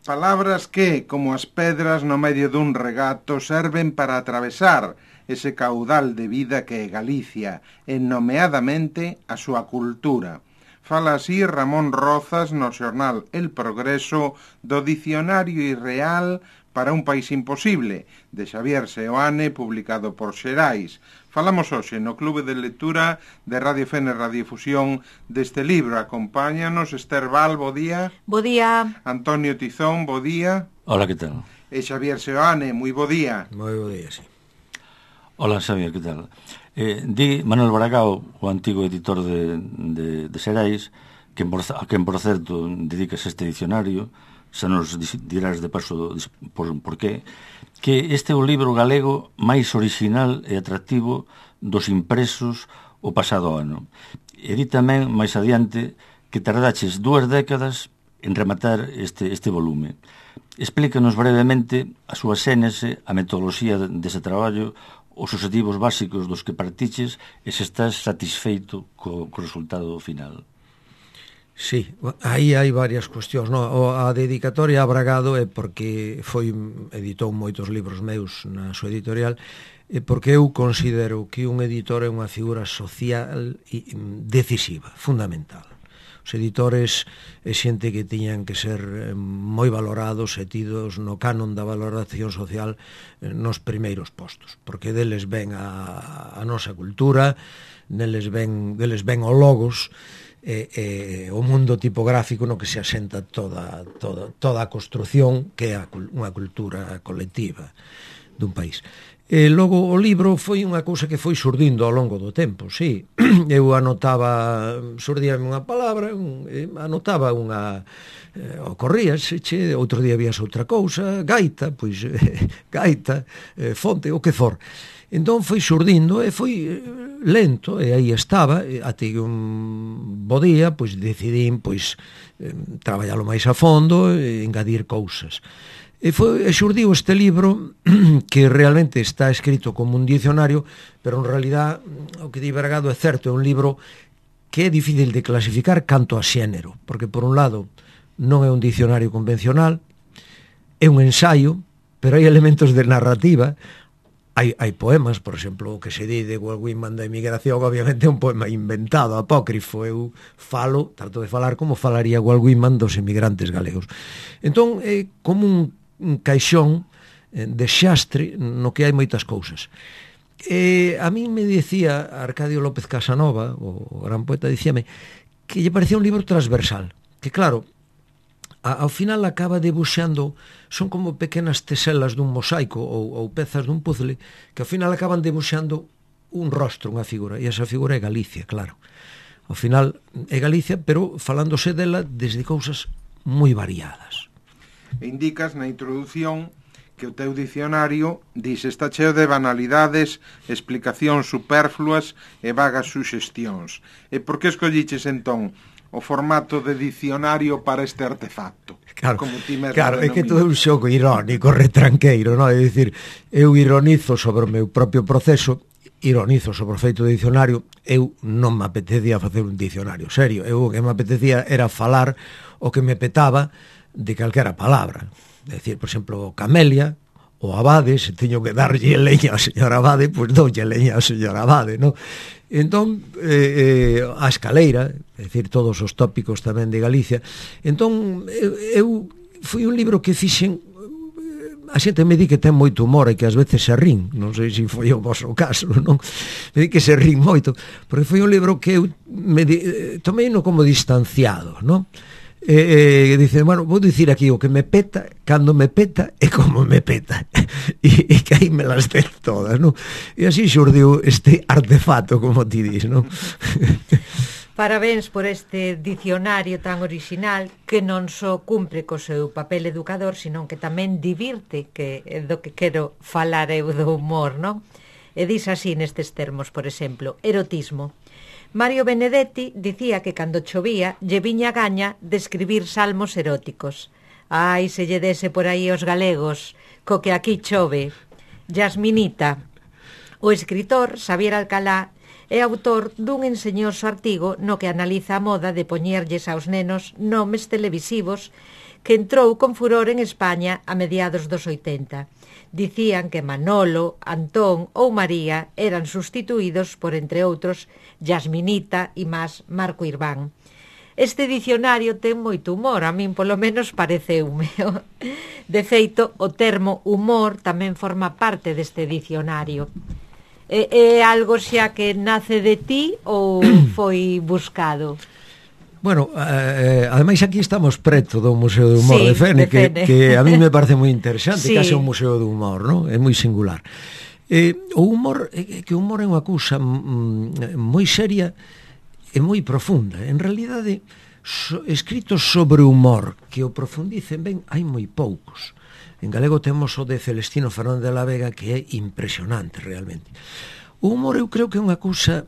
Palabras que, como as pedras no medio dun regato, serven para atravesar ese caudal de vida que é Galicia, e nomeadamente a súa cultura. Fala así Ramón Rozas no xornal El Progreso do Dicionario Irreal para un país imposible, de Xavier Seoane, publicado por Xerais. Falamos hoxe no Clube de Lectura de Radio Fene Radiofusión deste libro. Acompáñanos Esther Val, bo día. Bo día. Antonio Tizón, bo día. Hola, que tal? E Xavier Seoane, moi bo día. Moi bo día, sí. Hola, Xavier, que tal? Di Manuel Baracao, o antigo editor de Xerais, a quen, por certo, dedicas este dicionario, xa nos dirás de paso por qué, que este é o libro galego máis original e atractivo dos impresos o pasado ano. E di tamén, máis adiante, que tardaches 2 décadas en rematar este volume. Explícanos brevemente a súa xénese, a metodoloxía dese traballo, os objetivos básicos dos que partiches e se estás satisfeito co resultado final. Sí, aí hai varias cuestións, no? A dedicatoria a Bragado é porque editou moitos libros meus na súa editorial, e porque eu considero que un editor é unha figura social decisiva, fundamental. Os editores é xente que tiñan que ser moi valorados e tidos no canon da valoración social nos primeiros postos, porque deles ven a nosa cultura, deles ven o logos, o mundo tipográfico no que se asenta toda a construción que é unha cultura colectiva dun país. E logo o libro foi unha cousa que foi surdindo ao longo do tempo, sí. Eu anotaba, surdíame unha palabra, anotaba unha, ocorríase, outro día vías outra cousa, gaita, pois gaita, fonte, o que for. Entón foi surdindo e foi lento, e aí estaba, até que un bo día, pois decidín, pois, traballalo máis a fondo e engadir cousas. E xurdiu este libro que realmente está escrito como un dicionario, pero en realidad o que di Bragado é certo, é un libro que é difícil de clasificar canto a xénero, porque por un lado non é un dicionario convencional, é un ensaio, pero hai elementos de narrativa, hai poemas, por exemplo, o que se di de Walt Whitman da emigración, obviamente é un poema inventado, apócrifo, eu trato de falar como falaría Walt Whitman dos emigrantes galegos. Entón é como un caixón de xastre no que hai moitas cousas. A mí me dicía Arcadio López Casanova, o gran poeta, dicíame que lle parecía un libro transversal, que claro, ao final acaba debuxando, son como pequenas teselas dun mosaico ou pezas dun puzzle, que ao final acaban debuxando un rostro, unha figura, e esa figura é Galicia, claro. Ao final é Galicia, pero falándose dela desde cousas moi variadas. Indicas na introdución que o teu dicionario está cheo de banalidades, explicacións superfluas e vagas suxestións. E por que escolliches entón o formato de dicionario para este artefacto? Claro, é que todo é un xogo irónico, retranqueiro, non? É dicir, eu ironizo sobre o meu propio proceso, ironizo sobre o feito de dicionario, eu non me apetecía facer un dicionario serio, eu o que me apetecía era falar o que me petaba de calquera palabra. É dicir, por exemplo, camelia, o abade, se teño que darlle leña ao señor abade, pois doulle leña ao señor abade, non? Entón, a escaleira, é dicir, todos os tópicos tamén de Galicia. Entón, eu foi un libro que fixen, a xente me di que ten moito humor e que ás veces se rin, non sei se foi o vosso caso, non? Me di que se rin moito, porque foi un libro que eu tomei como distanciado, non? Dice, bueno, vou dicir aquí o que me peta, cando me peta e como me peta, e que aí me las den todas, non? E así xurdiu este artefacto, como ti dis, non? Parabéns por este dicionario tan original que non só cumpre co seu papel educador, senón que tamén divirte, que é do que quero falar eu do humor, non? E dis así nestes termos, por exemplo, erotismo. Mario Benedetti dicía que cando chovía lle viña gaña de escribir salmos eróticos. Ai, se lle dese por aí os galegos, co que aquí chove. Yasminita. O escritor Xavier Alcalá é autor dun enseñoso artigo no que analiza a moda de poñerlles aos nenos nomes televisivos que entrou con furor en España a mediados dos 80. Dicían que Manolo, Antón ou María eran sustituídos por, entre outros, Yasminita e máis Marco Irván. Este dicionario ten moito humor, a min polo menos pareceume. De feito, o termo humor tamén forma parte deste dicionario. É algo xa que nace de ti ou foi buscado? Bueno, ademais aquí estamos preto do Museo do Humor, sí, de Fene, que a mí me parece moi interesante, sí. Case un museo do humor, non? É moi singular. O humor, que o humor é unha cousa moi seria e moi profunda. En realidade, escritos sobre humor que o profundicen ben, hai moi poucos. En galego temos o de Celestino Fernández de la Vega, que é impresionante realmente. O humor eu creo que é unha cousa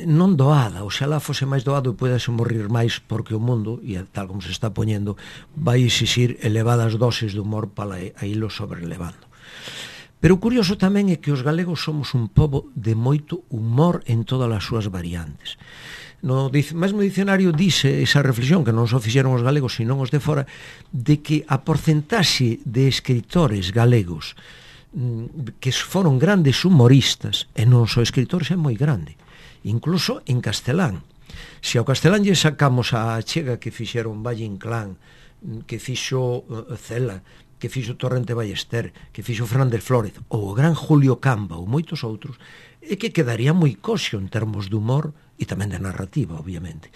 non doada, oxalá fose máis doado e puedese morrer máis, porque o mundo, e tal como se está poñendo, vai exixir elevadas doses de humor para ilo sobrelevando. Pero o curioso tamén é que os galegos somos un pobo de moito humor en todas as súas variantes. No mesmo dicionario dice esa reflexión, que non só fixeron os galegos, sino os de fora, de que a porcentaxe de escritores galegos que foron grandes humoristas, e non só escritores, é moi grande. Incluso en castelán. Se ao castelán lle sacamos a achega que fixeron Valle Inclán, que fixo Cela, que fixo Torrente Ballester, que fixo Fernández Flórez, ou o gran Julio Camba, ou moitos outros, é que quedaría moi coxo en termos de humor e tamén de narrativa, obviamente.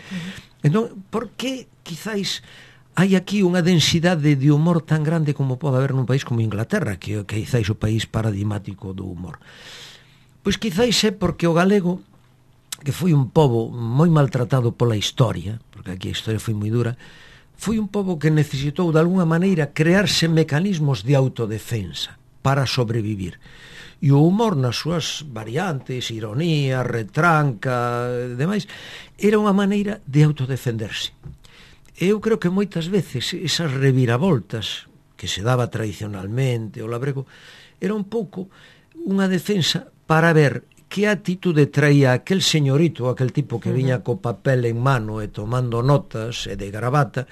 Entón, por que quizáis hai aquí unha densidade de humor tan grande como pode haber nun país como Inglaterra, que quizáis o país paradigmático do humor? Pois quizáis é porque o galego, que foi un pobo moi maltratado pola historia, porque aquí a historia foi moi dura, foi un pobo que necesitou de alguna maneira crearse mecanismos de autodefensa para sobrevivir. E o humor nas súas variantes, ironía, retranca, demais, era unha maneira de autodefenderse. Eu creo que moitas veces esas reviravoltas que se daba tradicionalmente o labrego era un pouco unha defensa para ver que atitude traía aquel señorito, aquel tipo que viña co papel en mano e tomando notas e de gravata,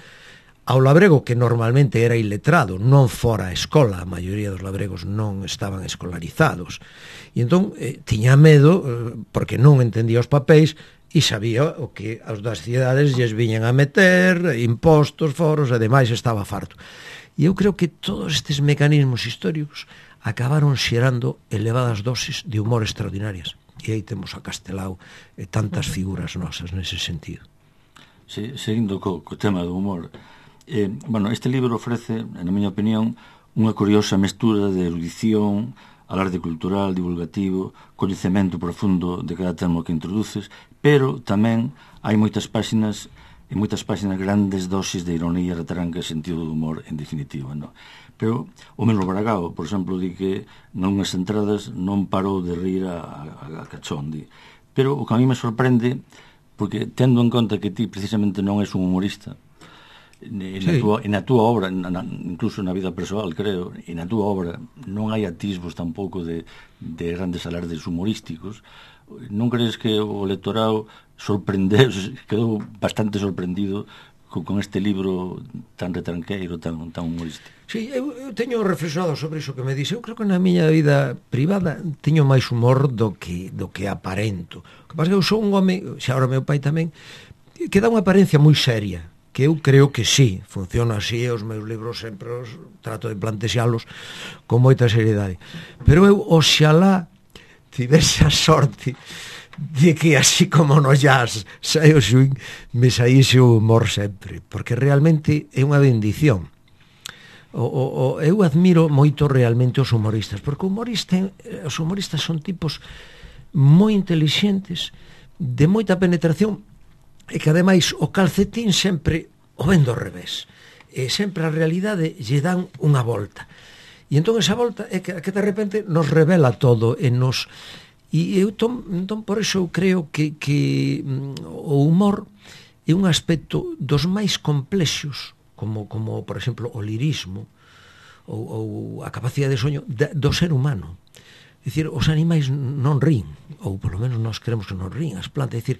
ao labrego que normalmente era iletrado, non fora a escola, a maioría dos labregos non estaban escolarizados. E entón tiña medo, porque non entendía os papéis, e sabía o que as das cidades lles viñan a meter, impostos, foros, e demais, estaba farto. E eu creo que todos estes mecanismos históricos acabaron xerando elevadas dosis de humor extraordinarias. E aí temos a Castelao e tantas figuras nosas nese sentido. Sí, seguindo co tema do humor, bueno, este libro ofrece, na miña opinión, unha curiosa mestura de erudición, alarde cultural, divulgativo, coñecemento profundo de cada termo que introduces, pero tamén hai moitas páxinas grandes dosis de ironía, retranca e sentido do humor, en definitiva, non? Pero o mesmo Bragao, por exemplo, di que nunhas entradas non parou de rir a cachón, di. Pero o que a mí me sorprende, porque tendo en conta que ti precisamente non és un humorista, na túa obra, incluso na vida persoal, creo, e na túa obra non hai atisbos tampouco de grandes alardes humorísticos. Non crees que o lectorado quedou bastante sorprendido con este libro tan retranqueiro, tan humorístico? Sí, eu teño reflexionado sobre iso que me dixe. Eu creo que na miña vida privada teño máis humor do que aparento. O que pasa é que eu sou un home, xa ahora meu pai tamén, que dá unha apariencia moi seria, que eu creo que sí, funciona así, os meus libros sempre os trato de plantexalos con moita seriedade. Pero eu, oxalá, tivese a sorte de que así como no jazz sai o swing, me saíse o humor sempre, porque realmente é unha bendición. Eu admiro moito realmente os humoristas, porque os humoristas son tipos moi intelixentes, de moita penetración, e que ademais o calcetín sempre o ven do revés, e sempre a realidade lle dan unha volta, e entón esa volta é que de repente nos revela todo e nos... E eu entón por iso eu creo que o humor é un aspecto dos máis complexos, como por exemplo o lirismo ou a capacidade de soño do ser humano. É dicir, os animais non rin, ou polo menos nós queremos que non rin, as plantas, é dicir,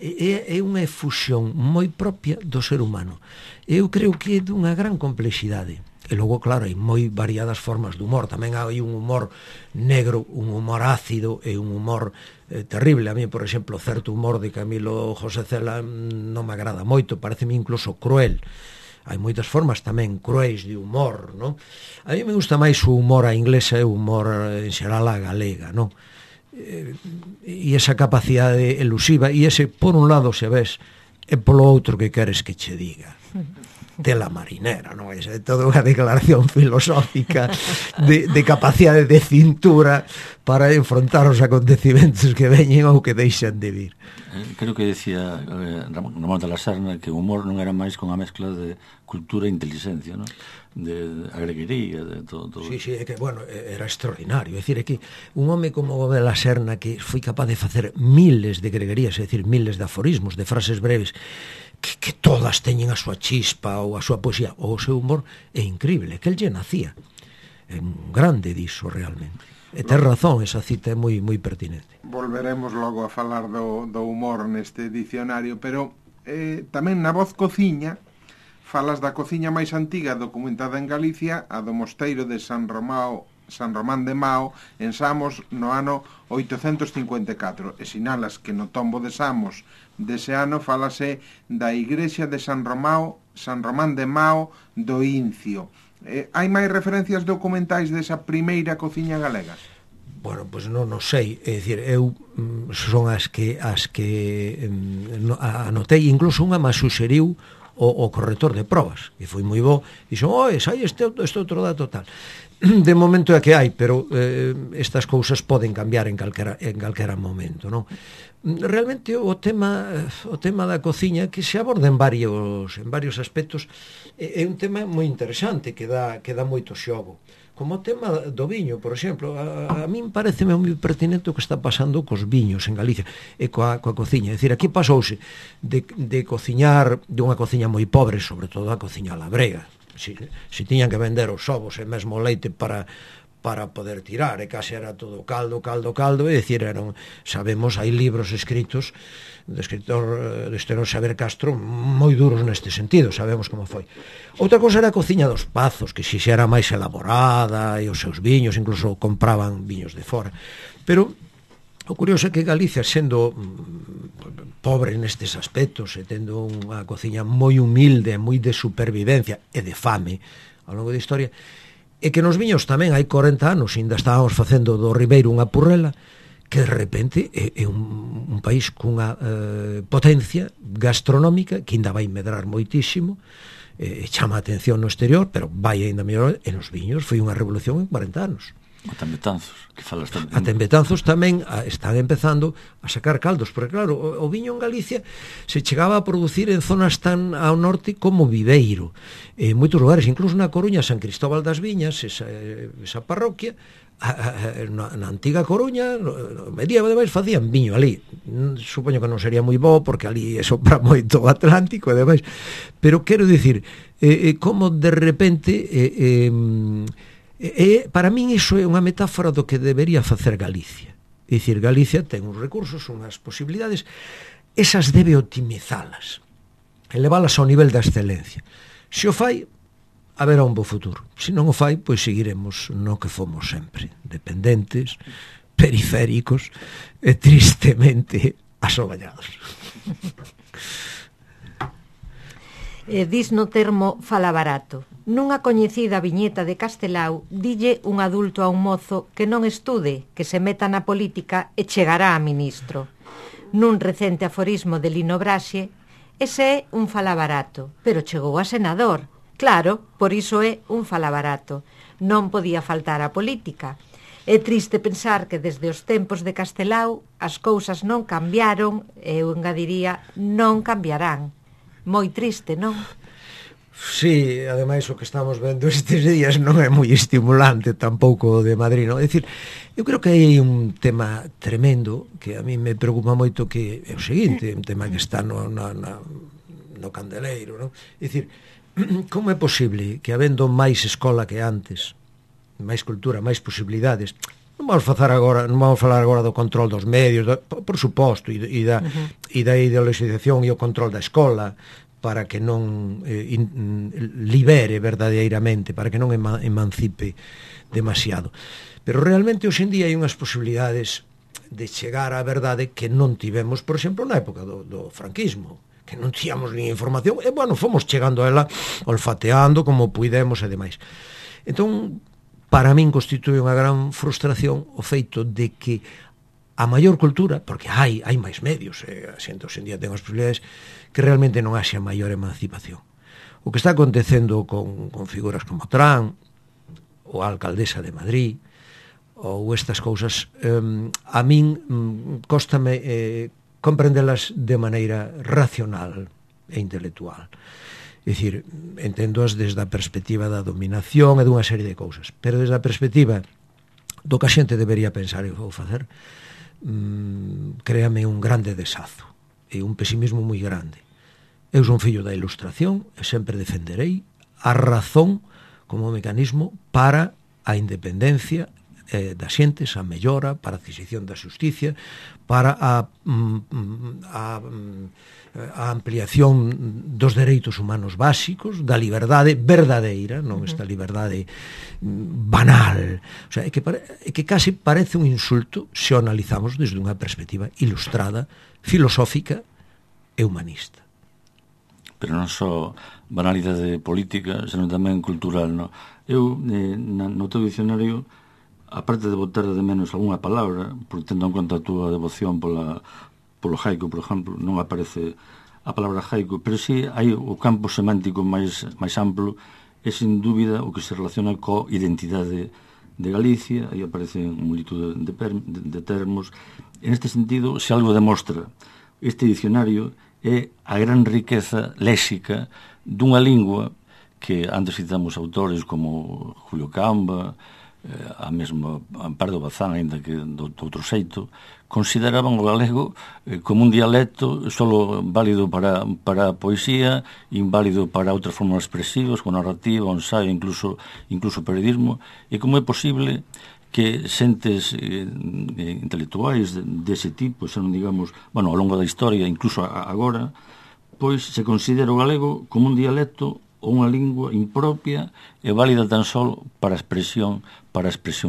é unha efusión moi propia do ser humano. Eu creo que é dunha gran complexidade. E logo, claro, hai moi variadas formas de humor. Tamén hai un humor negro, un humor ácido e un humor terrible. A mí, por exemplo, certo humor de Camilo José Cela non me agrada moito, pareceme incluso cruel. Hai moitas formas tamén cruéis de humor, non? A mí me gusta máis o humor a inglesa e o humor en xeral a galega, non? E esa capacidade elusiva, e ese, por un lado, se ves, e polo outro que queres que che diga. Tela marinera, non? É toda unha declaración filosófica de capacidade de cintura para enfrontar os acontecimentos que veñen ou que deixan de vir. Creo que decía Ramón de la Serna que o humor non era máis con a mezcla de cultura e inteligencia, non? De agreguería, de todo. Sí, é que, bueno, era extraordinario. É dicir, é que un home como de la Serna que foi capaz de facer miles de greguerías, é dicir, miles de aforismos, de frases breves, que todas teñen a súa chispa ou a súa poesía ou o seu humor, é increíble, que el lle nacía. É un grande diso, realmente. E ten razón, esa cita é moi pertinente. Volveremos logo a falar do humor neste dicionario, pero tamén na voz cociña falas da cociña máis antiga documentada en Galicia, a do mosteiro de San Román de Mao, en Samos, no ano 854, e sinalas que no tombo de Samos dese ano falase da igrexa de San Román de Mao do Incio. Hai máis referencias documentais desa primeira cociña galega? Bueno, pois non sei, é dicir, eu son as que anotei, incluso unha me suxeriu o corrector de probas, que foi moi bo, e dixo, sai este outro dato tal. De momento é que hai, pero estas cousas poden cambiar en calquera momento, non? Realmente o tema da cociña que se aborda en varios aspectos é un tema moi interesante que dá moito xogo. Como o tema do viño, por exemplo, a min pareceme moi pertinente o que está pasando cos viños en Galicia e coa cociña. É dicir, aquí pasouse de cociñar, de unha cociña moi pobre, sobre todo a cociña labrega. Se tiñan que vender os ovos e mesmo o leite para poder tirar, e case era todo caldo, é dicir, sabemos, hai libros escritos do escritor Xavier Castro moi duros neste sentido, sabemos como foi. Outra cousa era a cociña dos pazos, que xa era máis elaborada, e os seus viños, incluso compraban viños de fora. Pero o curioso é que Galicia, sendo pobre nestes aspectos, e tendo unha cociña moi humilde, moi de supervivencia e de fame ao longo da historia, e que nos viños tamén hai 40 anos ainda estábamos facendo do Ribeiro unha purrela, que de repente é un país cunha potencia gastronómica que ainda vai medrar moitísimo, chama a atención no exterior, pero vai ainda mellor, e nos viños foi unha revolución en 40 anos. Ata en Betanzos, que falas tamén. Ata en Betanzos tamén están empezando a sacar caldos, porque claro, o viño en Galicia se chegaba a producir en zonas tan ao norte como Viveiro, en moitos lugares, incluso na Coruña, San Cristóbal das Viñas, esa parroquia, na antiga Coruña, no medievo, ademais, facían viño ali. Supoño que non sería moi bo, porque ali sopra moito o Atlántico, ademais, pero quero dicir, como de repente... para min iso é unha metáfora do que debería facer Galicia. É dicir, Galicia ten uns recursos, unhas posibilidades, esas debe optimizalas, elevalas ao nivel da excelencia. Se o fai, haberá un bo futuro. Se non o fai, pois seguiremos no que fomos sempre, dependentes, periféricos e tristemente asoballados. Dis no termo fala barato. Nunha coñecida viñeta de Castelao, dille un adulto a un mozo que non estude, que se meta na política e chegará a ministro. Nun recente aforismo de Lino Braxe, ese é un fala barato, pero chegou a senador. Claro, por iso é un fala barato. Non podía faltar a política. É triste pensar que desde os tempos de Castelao as cousas non cambiaron e eu engadiría non cambiarán. Moi triste, non? Sí, ademais o que estamos vendo estes días non é moi estimulante tampouco de Madrid, non? É dicir, eu creo que hai un tema tremendo que a mí me preocupa moito, que é o seguinte, un tema que está no candeleiro, non? É dicir, como é posible que habendo máis escola que antes, máis cultura, máis posibilidades, Non vamos falar agora do control dos medios, por suposto, e da ideologización e o control da escola, para que non libere verdadeiramente, para que non emancipe demasiado. Pero realmente hoxe en día hai unhas posibilidades de chegar á verdade que non tivemos, por exemplo, na época do franquismo, que non tíamos nin información, e, bueno, fomos chegando a ela olfateando como puidemos e demais. Entón, para min constitue unha gran frustración o feito de que a maior cultura, porque hai máis medios, a xente hoxe en día ten as posibilidades, que realmente non haxa maior emancipación. O que está acontecendo con figuras como Trump, ou a alcaldesa de Madrid, ou estas cousas, a min cóstame comprendelas de maneira racional e intelectual. É dicir, entendoas desde a perspectiva da dominación e dunha serie de cousas, pero desde a perspectiva do que a xente debería pensar e vou facer, créame un grande desazo e un pesimismo moi grande. Eu son fillo da Ilustración e sempre defenderei a razón como mecanismo para a independencia das xentes, a mellora, para a adquisición da xusticia, para a ampliación dos dereitos humanos básicos, da liberdade verdadeira, non esta liberdade banal. O sea, é que case parece un insulto se o analizamos desde unha perspectiva ilustrada, filosófica e humanista. Pero non só banalidade política, senón tamén cultural, non? Eu, no teu dicionario, aparte de botar de menos algunha palabra, porque tendo en conta a túa devoción polo haiku, por exemplo, non aparece a palabra haiku, pero sí hai o campo semántico máis amplo, é sin dúbida o que se relaciona co identidade de Galicia, aí aparecen multitud de termos. En este sentido, se algo demostra este dicionario é a gran riqueza léxica dunha lingua que antes citamos autores como Julio Camba, a mesma Amparo Bazán, ainda que do outro xeito, consideraban o galego como un dialecto solo válido para a poesía, inválido para outras formas expresivas, como narrativa, ensaio, incluso periodismo, e como é posible que xentes intelectuais dese tipo, xa non digamos, bueno, ao longo da historia, incluso agora, pois se considera o galego como un dialecto ou unha lingua impropia e válida tan só para a expresión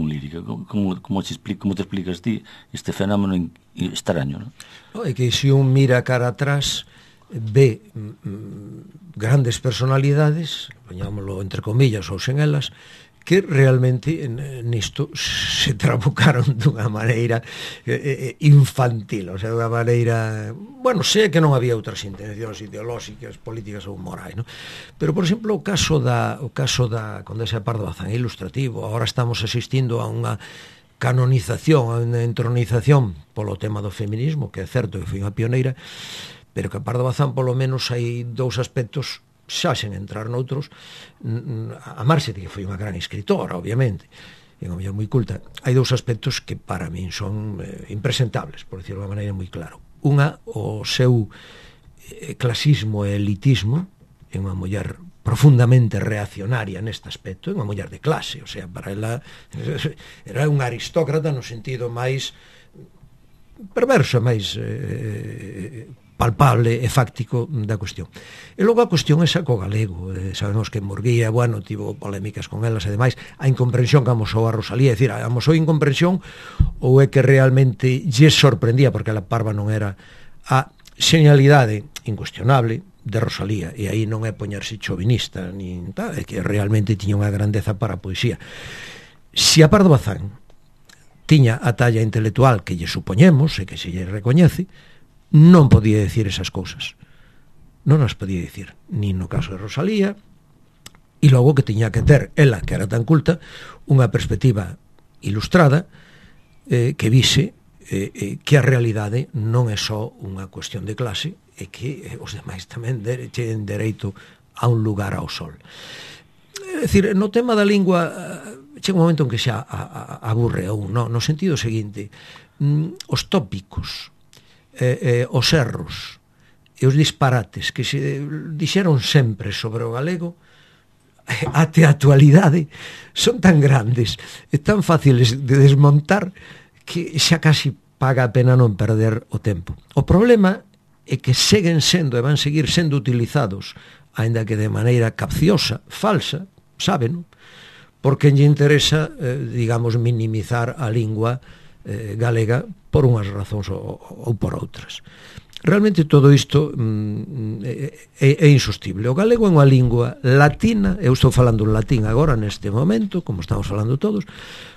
lírica. Como te explicas ti este fenómeno extraño, non? É que se un mira cara atrás ve grandes personalidades, poñámoslo entre comillas ou sen elas, que realmente nisto se trabucaron dunha maneira infantil, o sea, dunha maneira, bueno, sei que non había outras intencións ideolóxicas, políticas ou morais, non? Pero, por exemplo, o caso da Condesa de Pardo Bazán é ilustrativo. Agora estamos asistindo a unha canonización, a unha entronización polo tema do feminismo, que é certo que foi unha pioneira, pero que a Pardo Bazán, polo menos, hai dous aspectos, xa sen entrar noutros, a marxe de que foi unha gran escritora, obviamente, e unha muller moi culta, hai dous aspectos que para min son impresentables, por decirlo de unha maneira moi claro. Unha, o seu clasismo e elitismo, é unha muller profundamente reaccionaria neste aspecto, é unha muller de clase, o sea, para ela era unha aristócrata no sentido máis perverso, máis palpable e fáctico da cuestión. E logo a cuestión esa co galego. Sabemos que Murguía, bueno, tivo polémicas con elas e demais. A incomprensión que amosou a Rosalía, é dicir, amosou incomprensión ou é que realmente lle sorprendía, porque a parva non era a señalidade incuestionable de Rosalía, e aí non é poñerse chauvinista, nin tal, é que realmente tiña unha grandeza para a poesía. Se a Pardo Bazán tiña a talla intelectual que lle supoñemos e que se lle recoñece, non podía decir esas cousas, non as podía decir, nin no caso de Rosalía, e logo que tiña que ter, ela que era tan culta, unha perspectiva ilustrada que vise que a realidade non é só unha cuestión de clase e que os demais tamén ten dereito a un lugar ao sol. É dicir, no tema da lingua chega un momento en que xa aburre a un, no sentido seguinte, os tópicos, os erros e os disparates que se dixeron sempre sobre o galego até a actualidade son tan grandes e tan fáciles de desmontar que xa casi paga a pena non perder o tempo. O problema é que seguen sendo e van seguir sendo utilizados, aínda que de maneira capciosa, falsa, saben, porque lle interesa, digamos, minimizar a lingua galega por unhas razóns ou por outras. Realmente todo isto é insostible. O galego é unha lingua latina, eu estou falando en latín agora neste momento, como estamos falando todos,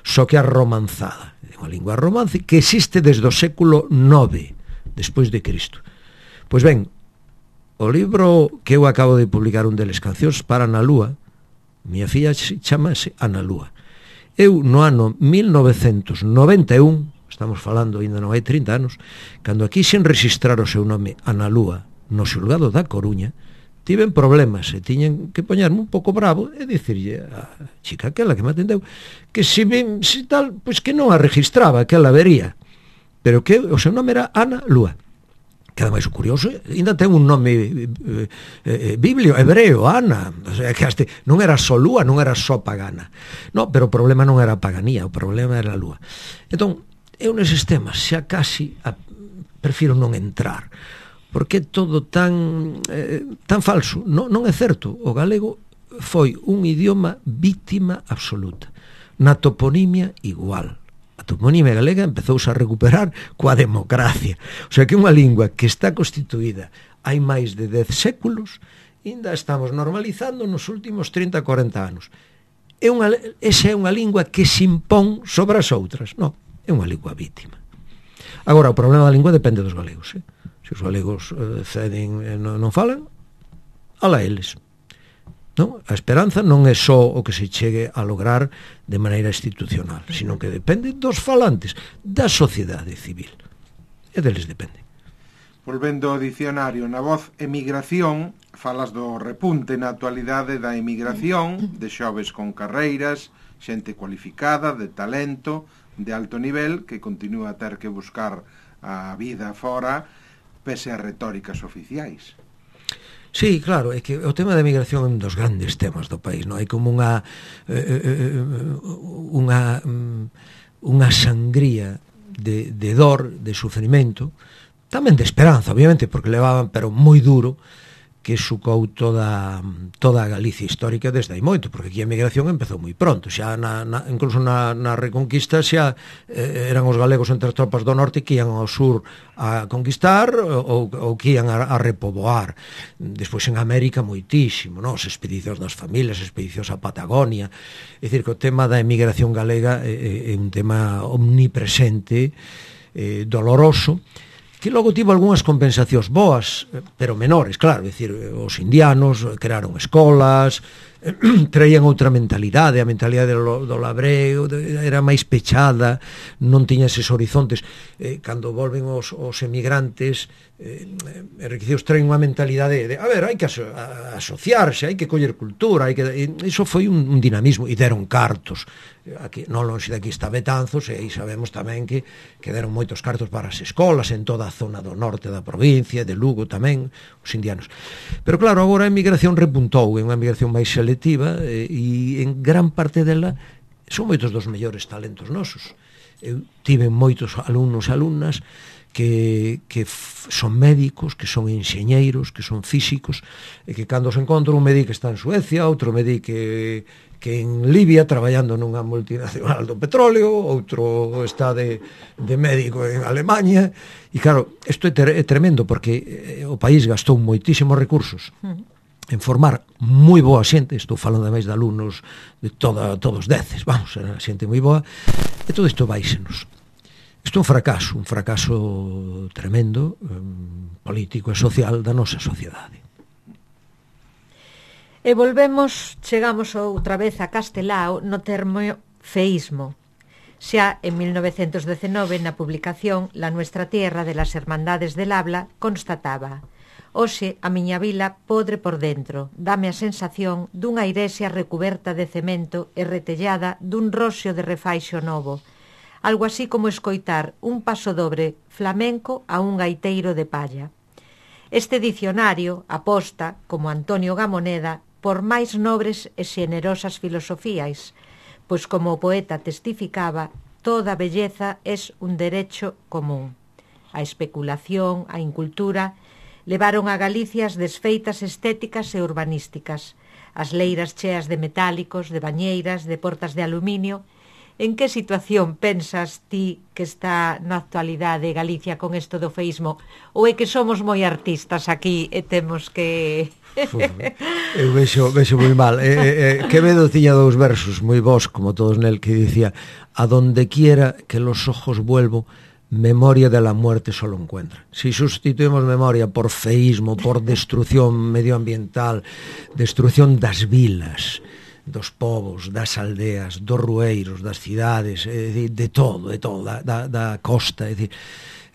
só que é romanzada. É unha lingua romance que existe desde o século IX despois de Cristo. Pois ben, o libro que eu acabo de publicar, un deles, Cancións para Ana Lúa, miña filla chamase Ana Lúa. Eu no ano 1991, estamos falando, ainda non hai 30 anos, cando aquí sen registrar o seu nome Ana Lúa no xulgado da Coruña, tiven problemas e tiñen que poñerme un pouco bravo e dicirlle a chica aquela que me atendeu que se tal, pois que non a registraba, que ela vería, pero que o seu nome era Ana Lúa. Que ademais o curioso, ainda ten un nome biblio, hebreo, Ana, o sea, que non era só Lúa, non era só pagana. No, pero o problema non era a paganía, o problema era a Lúa. Entón, eu neses temas xa casi prefiro non entrar, porque é todo tan falso. Non é certo. O galego foi un idioma víctima absoluta. Na toponimia igual. A toponimia galega empezouse a recuperar coa democracia. O sea que unha lingua que está constituída hai máis de 10 séculos, ainda estamos normalizando nos últimos 30-40 anos. Esa é unha lingua que se impón sobre as outras. Non, é unha lingua vítima. Agora, o problema da lingua depende dos galegos. Se os galegos ceden e non falan, ala eles. Non? A esperanza non é só o que se chegue a lograr de maneira institucional, sino que depende dos falantes, da sociedade civil. E deles depende. Volvendo ao dicionario, na voz emigración, falas do repunte na actualidade da emigración, de xoves con carreiras, xente cualificada, de talento, de alto nivel, que continúa a ter que buscar a vida fora, pese a retóricas oficiais. Sí, claro, é que o tema da emigración é un dos grandes temas do país, non? Hai como unha sangría de dor, de sufrimento, tamén de esperanza, obviamente, porque levaban, pero moi duro, que sucou toda a Galicia histórica desde hai moito, porque aquí a emigración empezou moi pronto, xa incluso na Reconquista xa eran os galegos entre as tropas do norte que ian ao sur a conquistar ou que ian a repoboar. Despois en América moitísimo, non? As expedicións das familias, as expedicións a Patagonia. É dicir, que o tema da emigración galega é un tema omnipresente, doloroso, que logo tivo algunhas compensacións boas, pero menores, claro, é dicir, os indianos crearon escolas, traían outra mentalidade, a mentalidade do labreo era máis pechada, non tiña eses horizontes. Cando volven os emigrantes, enriquecidos, traen unha mentalidade de, a ver, hai que asociarse, hai que coller cultura, iso foi un dinamismo, e deron cartos. Aquí, non longe daqui está Betanzos, e aí sabemos tamén que deron moitos cartos para as escolas en toda a zona do norte da provincia, de Lugo tamén, os indianos. Pero claro, agora a emigración repuntou, é unha emigración máis selectiva, e en gran parte dela son moitos dos mellores talentos nosos. Eu tive moitos alumnos e alumnas que son médicos, que son enxeñeiros, que son físicos, e que cando se encontran, un me di que está en Suecia, outro me di que en Libia traballando nunha multinacional do petróleo, outro está de médico en Alemanha, e claro, isto é tremendo, porque o país gastou moitísimos recursos en formar moi boa xente, estou falando ademais de alumnos de todos 10, vamos, era xente moi boa, e todo isto váisenos. Isto é un fracaso tremendo, político e social da nosa sociedade. E chegamos outra vez a Castelao no termo feísmo. Xa en 1919, na publicación La Nuestra Tierra de las Hermandades del Habla, constataba: hoxe a miña vila podre por dentro, dame a sensación dunha igrexa recuberta de cemento e retellada dun roxo de refaixo novo, algo así como escoitar un pasodobre flamenco a un gaiteiro de palla. Este dicionario aposta, como Antonio Gamoneda, por máis nobres e xenerosas filosofías, pois como o poeta testificaba, toda belleza es un derecho común. A especulación, a incultura, levaron a Galicia as desfeitas estéticas e urbanísticas, as leiras cheas de metálicos, de bañeiras, de portas de aluminio. En que situación pensas ti que está na actualidade Galicia con isto do feísmo? Ou é que somos moi artistas aquí e temos que... Eu vexo moi mal. Quevedo tiña dous versos moi bons, como todos nel, que dicía: a donde quiera que los ojos vuelvo, memoria de la muerte solo encuentra. Si sustituimos memoria por feísmo, por destrucción medioambiental, destrucción das vilas, dos povos, das aldeas, dos rueiros, das cidades, de todo, da costa, é dicir,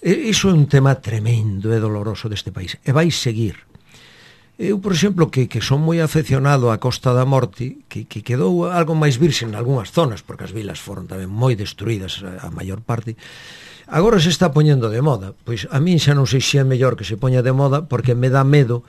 iso é un tema tremendo e doloroso deste país, e vai seguir. Eu, por exemplo, que son moi afeccionado á Costa da Morte, que quedou algo máis virxe en algunhas zonas, porque as vilas foron tamén moi destruídas a maior parte, agora se está poñendo de moda. Pois a min xa non sei se é mellor que se poña de moda, porque me dá medo,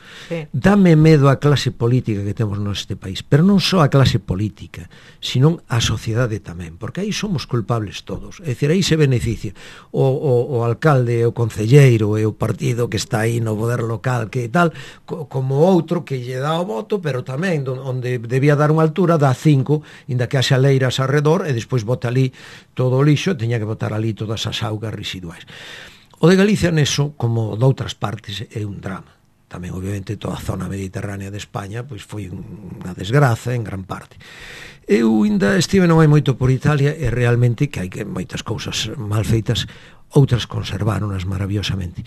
dame medo a clase política que temos neste país, pero non só a clase política, sino a sociedade tamén, porque aí somos culpables todos. É dicir, aí se beneficia o alcalde, o concelleiro e o partido que está aí no poder local, que tal, como outro que lle dá o voto, pero tamén onde debía dar unha altura dá 5, inda que haxa leiras arredor, e despois bota ali todo o lixo, teña que botar ali todas as augas residuais. O de Galicia neso, como doutras partes, é un drama. Tamén, obviamente, toda a zona mediterránea de España pois foi unha desgraza en gran parte. Eu ainda estive non hai moito por Italia, e realmente que hai moitas cousas mal feitas, outras conserváronas maravillosamente.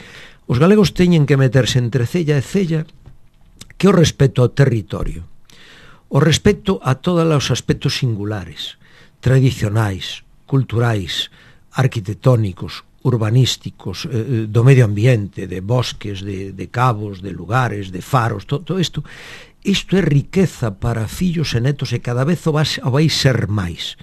Os galegos teñen que meterse entre cella e cella que o respecto ao territorio, o respecto a todos os aspectos singulares, tradicionais, culturais, arquitectónicos, urbanísticos, do medio ambiente, de bosques, de cabos, de lugares, de faros, todo isto. Isto é riqueza para fillos e netos, e cada vez o vai ser máis.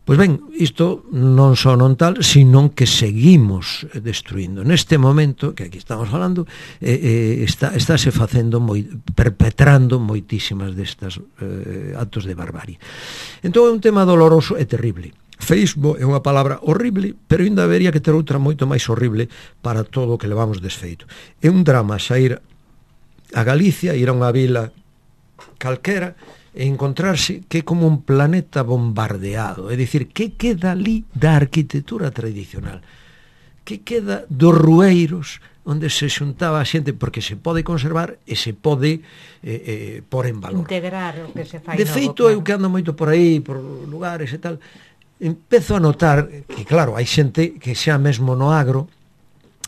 Pois ben, isto non só non tal, sino que seguimos destruindo. Neste momento, que aquí estamos falando, estáse facendo, perpetrando moitísimas destas actos de barbarie. Entón é un tema doloroso e terrible. Feísmo é unha palabra horrible, pero ainda habería que ter outra moito máis horrible para todo o que levamos desfeito. É un drama sair a Galicia, ir a unha vila calquera e encontrarse que é como un planeta bombardeado, é dicir, que queda ali da arquitectura tradicional, que queda dos rueiros onde se xuntaba a xente, porque se pode conservar e se pode pôr en valor. Integrar o que se fai. De feito, eu que ando moito por aí, por lugares e tal, empezo a notar que, claro, hai xente que xa mesmo no agro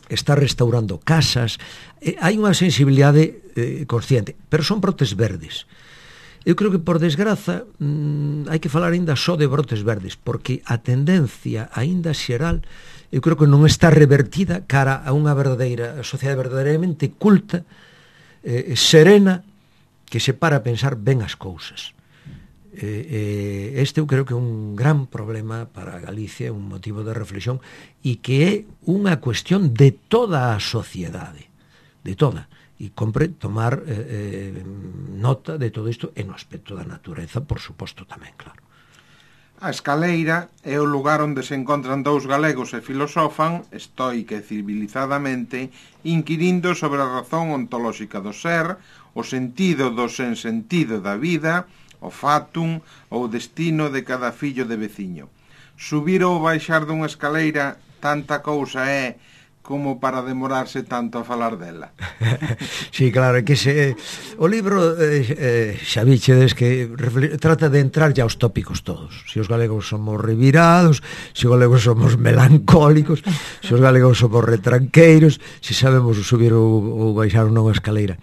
está restaurando casas, hai unha sensibilidade consciente, pero son brotes verdes. Eu creo que, por desgraza, hai que falar aínda só de brotes verdes, porque a tendencia aínda xeral, eu creo que non está revertida cara a unha verdadeira sociedade verdadeiramente culta, serena, que se para a pensar ben as cousas. Este eu creo que é un gran problema para Galicia, un motivo de reflexión, e que é unha cuestión de toda a sociedade, de toda, e compre tomar nota de todo isto en o aspecto da natureza, por suposto, tamén, claro. A escaleira é o lugar onde se encontran dous galegos e filosofan estoica e civilizadamente, inquirindo sobre a razón ontolóxica do ser, o sentido do sensentido da vida, o fatum ou o destino de cada fillo de veciño. Subir ou baixar dunha escaleira tanta cousa é como para demorarse tanto a falar dela. Sí, claro, é que o libro xa vichedes que trata de entrar ya aos tópicos todos. Se os galegos somos revirados, se os galegos somos melancólicos, se os galegos somos retranqueiros, se sabemos subir ou baixar unha escaleira.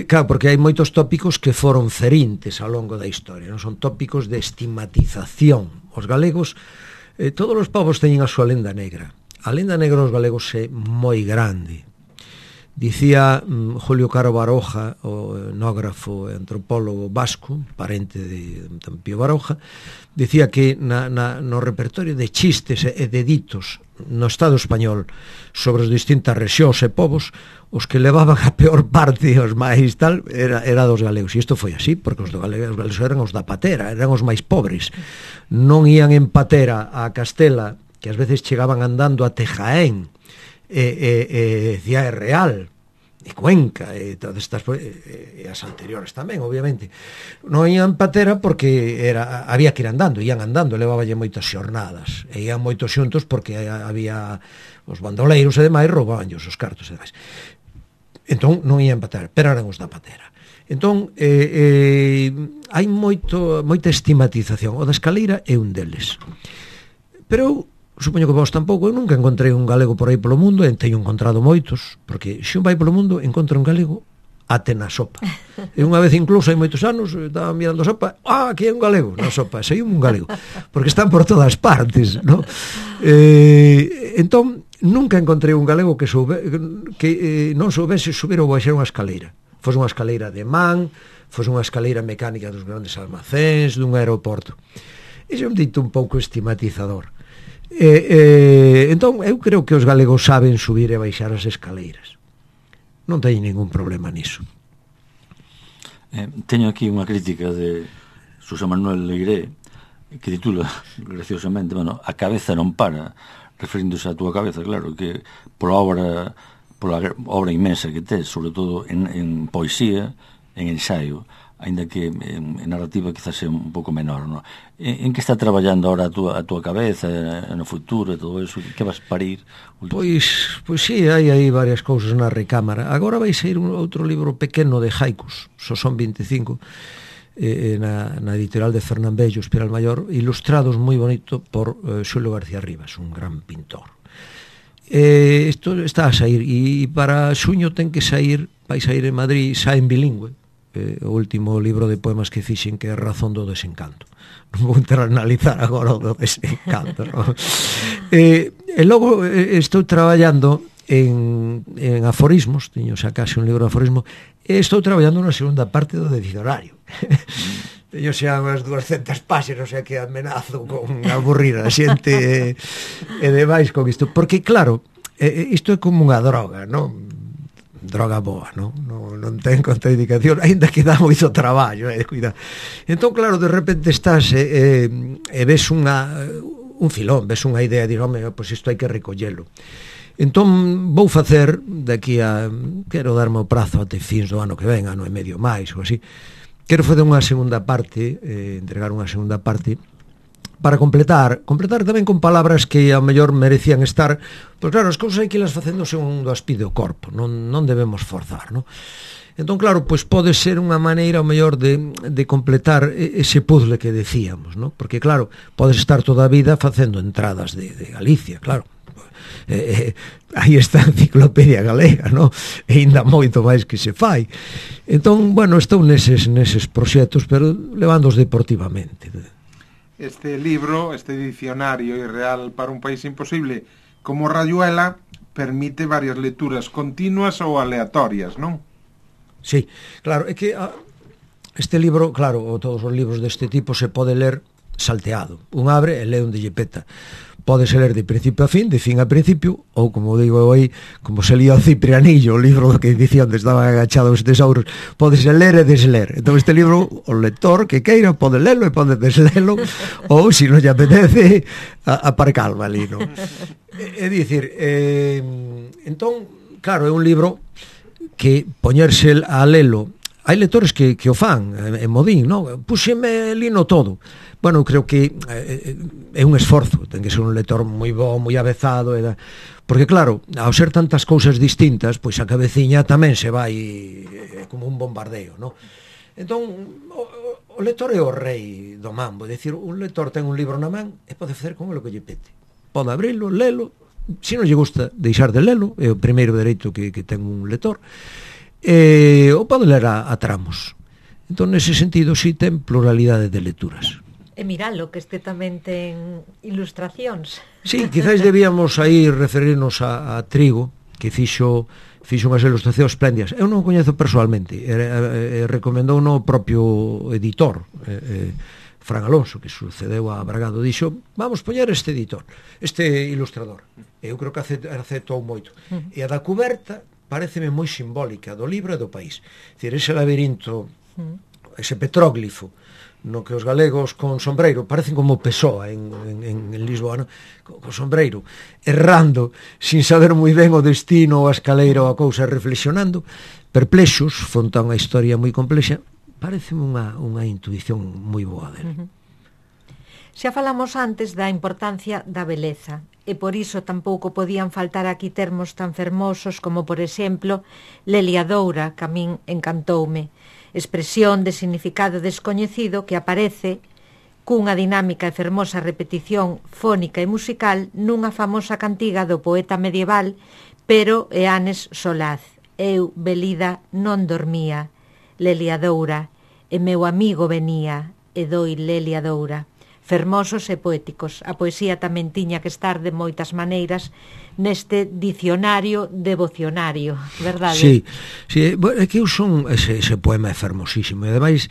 Claro, porque hai moitos tópicos que foron cerintes ao longo da historia, non son tópicos de estigmatización. Os galegos, todos os povos teñen a súa lenda negra. A lenda negra dos galegos é moi grande. Dicía Julio Caro Baroja, o etnógrafo e antropólogo vasco, parente de Pío Baroja, dicía que no repertorio de chistes e de ditos no Estado español sobre as distintas rexións e povos, os que levaban a peor parte, os máis tal, era dos galegos. E isto foi así, porque os galegos eran os da patera, eran os máis pobres. Non ían en patera a Castela, que ás veces chegaban andando a Jaén, Ciudad Real, e Cuenca, e todas estas, e as anteriores tamén, obviamente. Non ian patera porque había que ir andando, ian andando, levaballe moitas xornadas, e ian moitos xuntos porque había os bandoleiros e demais, roubabanllos os cartos e demais. Entón non ian patera, pero eran os da patera. Entón hai moita estigmatización. O da escaleira é un deles. Pero eu supoño que vos tampouco, eu nunca encontrei un galego por aí polo mundo, e teño encontrado moitos, porque se un vai polo mundo encontra un galego até na sopa. E unha vez incluso, hai moitos anos, estaba mirando a sopa, aquí hai un galego na sopa, sei un galego, porque están por todas partes, ¿no? Entón, nunca encontrei un galego que non soubese subir ou baixar unha escaleira. Fose unha escaleira de man, fose unha escaleira mecánica dos grandes almacéns, dun aeroporto. Ese é un dito un pouco estigmatizador. Entón, eu creo que os galegos saben subir e baixar as escaleiras. Non teño ningún problema niso. Teño aquí unha crítica de Xosé Manuel Leiré que titula graciosamente, bueno, a cabeza non para, referíndose á túa cabeza, claro, que pola obra inmensa que tes, sobre todo en poesía, en ensaio, ainda que en narrativa quizás é un pouco menor, ¿no? En que está traballando ahora a túa cabeza no futuro e todo eso? Que vas parir? Pois sí, hai varias cousas na recámara. Agora vai sair outro libro pequeno de haikus, son 25, na editorial de Fernán Bello, Espiral Mayor, ilustrados moi bonito por Xulio García Rivas, un gran pintor. Isto está a sair, e para xuño ten que sair, vai sair en Madrid, xa en bilingüe, o último libro de poemas que fixen, que é Razón do Desencanto. Non vou entrar a analizar agora o do desencanto, ¿no? E logo estou traballando en aforismos, teño xa case un libro de aforismo, e estou traballando na segunda parte do diccionario. Teño xa unhas 200 páxinas, o sea que amenazo con aburrir a xente e demais con isto, porque claro, isto é como unha droga, non? Droga boa, non ten contraindicación, aínda que dá moito traballo, cuidado. Entón, claro, de repente estás e ves un filón, ves unha idea e dir, home, pois isto hai que recollelo. Entón, vou facer daqui a, quero darme o prazo até fins do ano que ven, ano e medio máis, ou así, quero facer unha segunda parte, entregar unha segunda parte, para completar tamén con palabras que ao mellor merecían estar, pois claro, as cousas hai que las facendo segundo as pide o corpo, non debemos forzar, non? Entón, claro, pois pode ser unha maneira ao mellor de completar ese puzzle que decíamos, non? Porque claro, podes estar toda a vida facendo entradas de Galicia, claro. Aí está a enciclopedia galega, non? E ainda moito máis que se fai. Entón, bueno, estou neses proxectos, pero levándoos deportivamente. Este libro, este dicionario irreal para un país imposible, como Rayuela, permite varias lecturas continuas ou aleatorias, non? Sí, claro, é que este libro, claro, ou todos os libros deste tipo se pode ler salteado. Un abre e lee onde lle peta. Pódese ler de principio a fin, de fin a principio, ou, como digo eu aí, como se lía o Ciprianillo, o libro que dicía onde estaban agachados os tesouros, pódese ler e desler. Entón este libro, o lector que queira pode lelo e pode deslelo, ou, se non lle apetece, aparcalma ali, non? É dicir, entón, claro, é un libro que poñerse a lelo, hai lectores que o fan en modín, non? Puxeme lino todo. Bueno, eu creo que é un esforzo, ten que ser un lector moi bo, moi avezado, porque claro, ao ser tantas cousas distintas, pois a cabeciña tamén se vai como un bombardeo, non? Entón, o lector é o rei do mambo, é dicir, un lector ten un libro na man e pode facer con o que lle pete. Pode abrilo, lelo, se non lle gusta deixar de lelo, é o primeiro dereito que ten un lector, ou pode ler a tramos. Entón, nese sentido, si ten pluralidade de lecturas. E miralo, que este tamén ten ilustracións. Sí, quizás debíamos aí referirnos a Trigo, que fixo unhas ilustracións espléndidas. Eu non o coñezo personalmente, recomendou no propio editor, Fran Alonso, que sucedeu a Bragado, dixo, vamos poñer este editor, este ilustrador. Eu creo que aceptou moito. E a da cuberta pareceme moi simbólica do libro e do país. Dicir, ese labirinto, ese petróglifo, no que os galegos con sombreiro parecen como Pessoa en Lisboa, no? Con sombreiro, errando, sin saber moi ben o destino, a escaleira ou a cousa, reflexionando, perplexos, fronte a unha historia moi complexa. Pareceme unha intuición moi boa dele. Xa falamos antes da importancia da beleza, e por iso tampouco podían faltar aquí termos tan fermosos como, por exemplo, Leliadoura, que a min encantoume, expresión de significado descoñecido que aparece cunha dinámica e fermosa repetición fónica e musical nunha famosa cantiga do poeta medieval Pero Eanes Solaz. Eu, velida, non dormía, Leliadoura, e meu amigo venía, e doi Leliadoura. Fermosos e poéticos. A poesía tamén tiña que estar de moitas maneiras neste dicionario devocionario, verdade? Sí, sí, é que eu son ese poema é fermosísimo, e ademais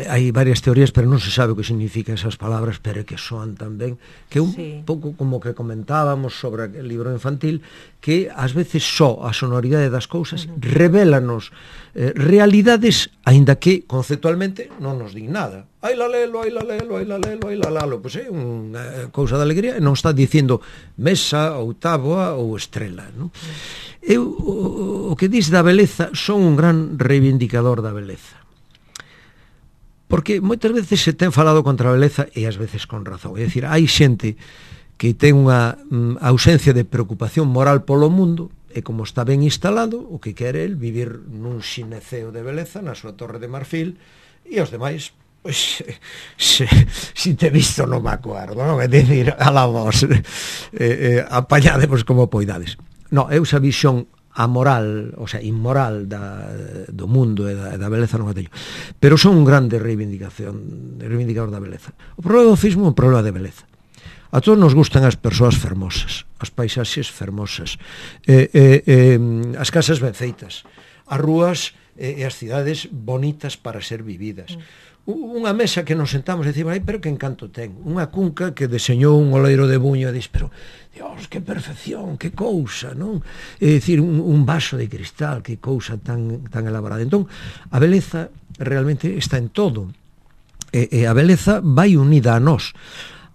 hai varias teorías, pero non se sabe o que significan esas palabras, pero é que soan tan ben, que un pouco como que comentábamos sobre o libro infantil, que ás veces só a sonoridade das cousas revélanos realidades, aínda que conceptualmente non nos din nada. Ai la lelo, ai la lelo, ai la lelo, ai la lalo. Pois é unha cousa de alegría, e non está dicindo mesa ou táboa ou estrela, non? Eu, o que dis da beleza, son un gran reivindicador da beleza. Porque moitas veces se ten falado contra a beleza, e ás veces con razón. É dicir, hai xente que ten unha ausencia de preocupación moral polo mundo, e como está ben instalado, o que quere el vivir nun xineceo de beleza na súa torre de marfil, e os demais, pois, si te visto non me acuerdo, non? É dicir, a la vos, apañademos como poidades. Non, é esa visión amoral, o sea, inmoral do mundo e da beleza non a teño. Pero son un grande reivindicador da beleza. O problema do fismo é un problema de beleza. A todos nos gustan as persoas fermosas, as paisaxes fermosas, as casas ben feitas, as rúas e as cidades bonitas para ser vividas. Unha mesa que nos sentamos e decimos, ai, pero que encanto ten. Unha cunca que deseñou un oleiro de Buño e dis, pero, Dios, que perfección, que cousa, non? É dicir, un vaso de cristal, que cousa tan elaborada. Entón, a beleza realmente está en todo. E a beleza vai unida a nós.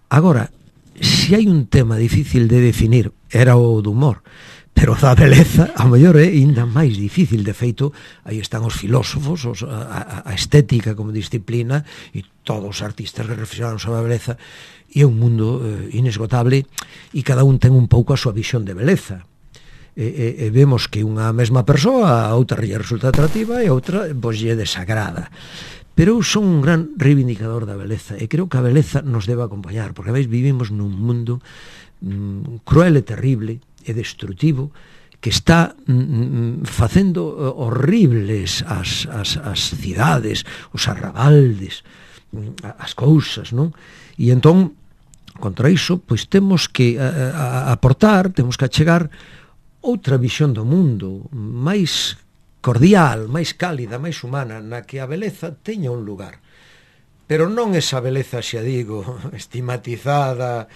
Agora, se hai un tema difícil de definir, era o do humor, pero da beleza, a mellor é ainda máis difícil. De feito, aí están os filósofos, a estética como disciplina, e todos os artistas que reflexionaron sobre a beleza, e é un mundo inesgotable, e cada un ten un pouco a súa visión de beleza. E vemos que unha mesma persoa, a outra lle resulta atractiva e a outra pois lle desagrada. Pero eu son un gran reivindicador da beleza, e creo que a beleza nos debe acompañar, porque a veces vivimos nun mundo cruel e terrible e destrutivo, que está facendo horribles as cidades, os arrabaldes, as cousas, non? E entón, contra iso, pois temos que aportar, temos que achegar outra visión do mundo, máis cordial, máis cálida, máis humana, na que a beleza teña un lugar. Pero non esa beleza, xa digo, estigmatizada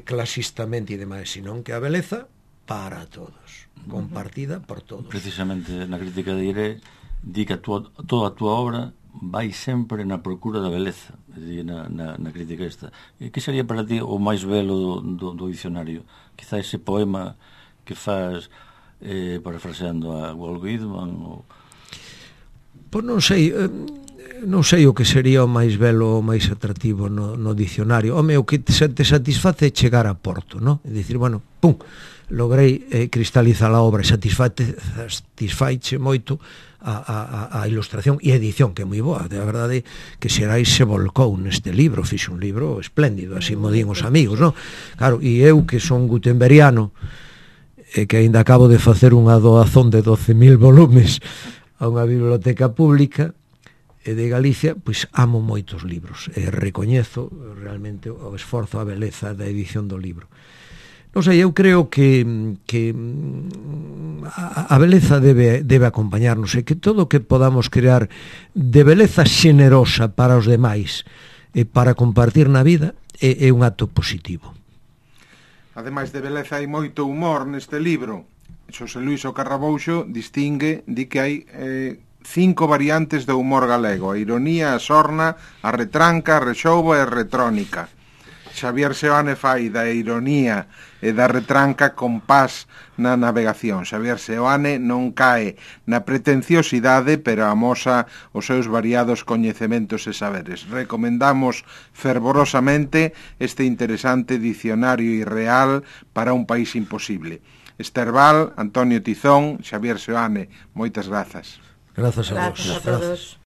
clasistamente e demais, senón que a beleza para todos, compartida por todos. Precisamente na crítica de Iré di que toda a túa obra vai sempre na procura da beleza, na crítica esta. Que sería para ti o máis belo do dicionario? Quizá ese poema que faz parafraseando a Walt Whitman ou... Pois non sei o que sería o máis belo, o máis atractivo no dicionario. Home, o que te satisface é chegar a porto, non? É dicir, bueno, pum, logrei cristalizar a obra, satisfaiche moito a ilustración e a edición, que é moi boa. De verdade que Xerais se volcou neste libro, fixe un libro espléndido, así mo din os amigos, non? Claro, e eu que son gutenberiano, e que aínda acabo de facer unha doazón de 12.000 volumes a unha biblioteca pública de Galicia, pois amo moitos libros e recoñezo realmente o esforzo, a beleza da edición do libro. Non sei, eu creo que a beleza debe acompañarnos, e que todo o que podamos crear de beleza xenerosa para os demais, para compartir na vida é un acto positivo. Ademais de beleza hai moito humor neste libro. Xosé Luís O Carrabouxo distingue, di que hai 5 variantes do humor galego: a ironía, a sorna, a retranca, a rexouba e a retrónica. Xavier Seoane fai da ironía e da retranca compás na navegación. Xavier Seoane non cae na pretenciosidade, pero amosa os seus variados coñecementos e saberes. Recomendamos fervorosamente este interesante dicionario irreal para un país imposible. Esther Val, Antonio Tizón, Xavier Seoane, moitas grazas. Grazas a vos. Grazas a todos.